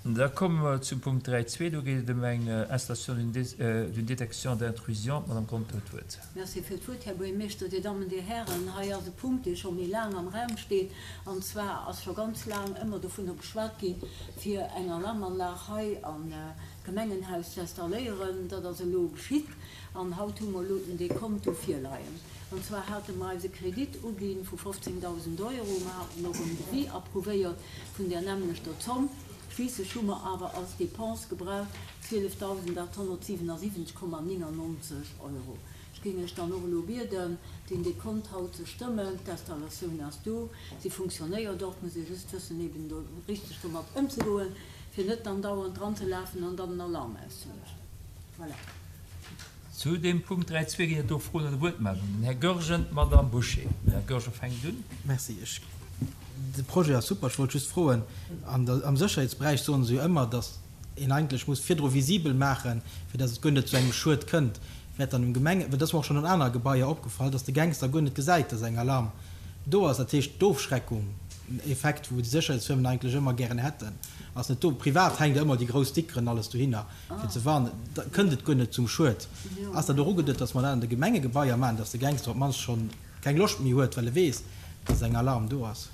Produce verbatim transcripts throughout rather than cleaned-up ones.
Da komme mer zum Punkt dräi zwee. Do geet et ëm eng Installation d'une détection d'intrusion. D'Madame Conter huet d'Wuert. Merci fir d'Wuert, Här Buergermeeschter, Dir Dammen, Dir Hären. Hei ass e Punkt, dee scho méi laang am Raum steet. An zwar ass scho ganz laang ëmmer dovunner geschwat ginn, fir eng Alarmanlag hei am Gemengenhaus ze installéieren. Dat ass elo geschitt an haut hu mer elo den Dekont do virleien. An zwar hate mer eis e Kredit ugi vu fofzéngdausend Euro. Mer haten och en Devis approuvéiert vun där nämmlechter Zomm. Schliisslech hu mer awer als Dépense gebraucht zwielefdausendachthonnertsiwenasiwwenzeg Komma néngannonzeg Euro. Ech géing lech dann och elo bieden, deen Dekont haut ze stëmmen. D'Installatioun ass do, si funktionéiert och, muss ee just wëssen, eben do richteg domat ëmzegoen, fir net dann dauernd dranzelafen an dann den Alarm auszeluechen. Voilà. Zu deem Punkt dräi zwee ginn et do Froen oder Wuertmeldungen. Den Här Goergen, d'Madame Bouché. Den Här Goergen fänkt un. Merci. Ech, de Projet ass super. Ech wollt just froen, an der, am Sécherheetsberäich soen se jo ëmmer, datt een eigentlech muss virdru visibel maachen, fir datt et guer net zu engem Schued kënnt. Wäert dann um Gemenge, well dat ass mer och schonn an anere Gebaier opgefall, datt de Gangster guer net gesäit, datt eng Alarm do ass. Dat heescht, d'Ofschreckung, en Effekt, wou déi Sécherheetsfirmen eigentlech ëmmer gären hätten, ass net do. Privat hänkt der ëmmer déi grouss Stickeren alles dohinner, fir ze warnen. Da kënnt et guer net zum Schued. Ass dat och ugeduet, datt mer dat an de Gemengegebaier maachen, datt de Gangster op d'mannst schonn keng Loscht méi huet, well e weess, datt eng Alarm do ass?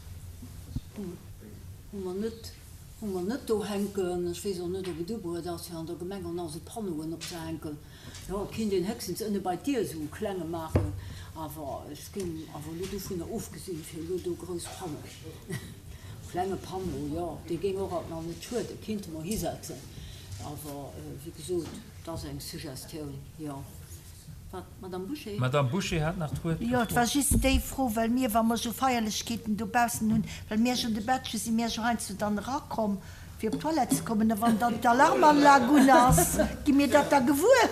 Hu mer net, hu mer net do hänken. Ech weess och net, ob et ubruet ass, fir an der Gemeng och nach esou Panneauen opzehänken. Jo, et kinnt een héchstens ënne bei d'Dier esou e klenge maachen, awer ech géing awer elo dovunner ofgesinn, fir elo do grouss Panneauen. Klenge Panneau, jo, dee géing och alt nach net schueden, kinnte mer hisetzen, awer wéi gesot, et ass eng Suggestioun, jo. Wat, Madame Bouché? D'Madame Bouché hat nach d'Wuert. Jo, et war just déi Fro, well mir, wa mer esou Feierlechkeeten dobaussen hunn, well mir jo de Badge, si mir jo heiansdo dann erakomm, fir op d'Toilette ze kommen, a wann dann d'Alarmanlag un ass, gi mir dat da gewuer.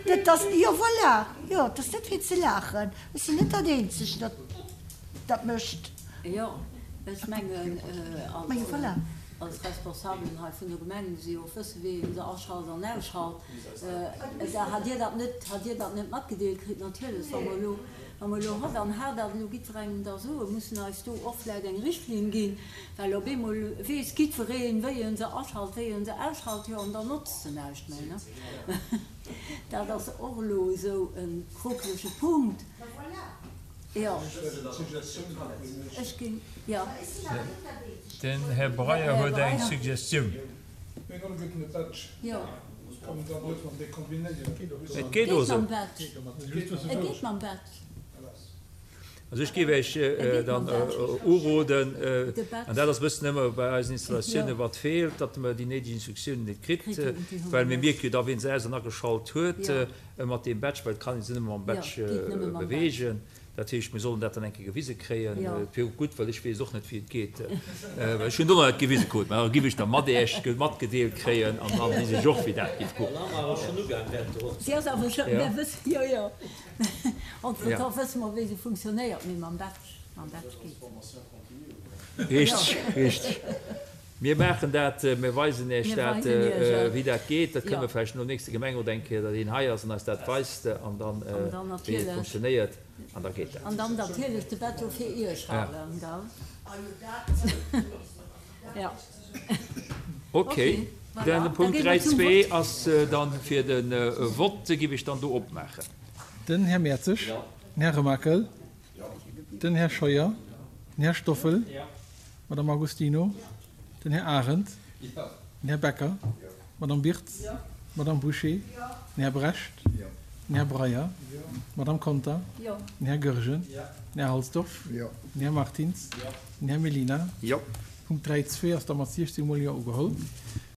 Dat ass, jo, voilà, jo, et ass net fir ze laachen. Ech sinn net dat Eenzegt, dat dat mécht. Jo, ech mengen, als Responsabelen hei vun der Gemeng muss ee jo och wëssen, wéi ee se aschalt an ausschalt. Da hat Dir dat net, hat Dir dat net matgedeelt kritt? Natierlech, wa mer elo, wa mer elo hott an hat dat elo jiddwerengem da soen, mussen eis do och vläicht eng Richtlinn ginn, well op eemol weess jiddwereen, wéi e se aschalt, wéi e se ausschalt, jo, an dann notzt se näischt méi, ne? Dat ass och elo esou e krokelege Punkt. Jo, ech ginn, jo. Den Här Breyer huet eng Suggestioun. Et geet och esou. Also ech géif Iech dann uroden, an dat ass e bëssen ëmmer bei eisen Installatiounen, wat feelt, datt mer déi néideg Instruktiounen net kritt, well mir mierke jo da, wien se aus an ageschalt huet mat deem Badge, well et kann ee se nëmme mam Badge beweegen. Dat heescht, mir sollen dat dann eng Kéier gewise kréien. Et wier och gutt, well ech weess och net, wéi et geet. Well ech hunn et och nach net gewise krut. Mä da giff ech da mat Iech matgedeelt kréien an dann weess ech och, wéi dat giff goen. Si ass awer scho, mir wëssen, jo, jo, entretemps wësse mer, wéi se funktionéiert, mee mam Badge, mam Badge geet se. Richteg, richteg. Mir maachen dat, mir weisen Iech dat, wéi dat geet. Dat kënne mer vläicht nom nächste Gemengerot eng Kéier, datt een hei ass an eis dat weist an dann, wéi et funktionéiert. An da geet dat. An dann natierlech de Betto fir Iech halen, gell? Jo. Ok. Den Punkt dräi zwee ass dann fir de Vott, giff ech dann do opmaachen. Den Här Mertzig. Den Här Remakel. Den Här Scheuer. Den Här Stoffel. D'Madame Agostino. Den Här Arendt. Den Här Becker. D'Madame Birtz. D'Madame Bouché. Den Här Brecht. Den Här Breyer. D'Madame Conter. Den Här Goergen. Den Här Halsdorf. Den Här Martins. Den Här Mellina. Punkt dräi zwee ass da mat siechzéng mol Jo ugeholl.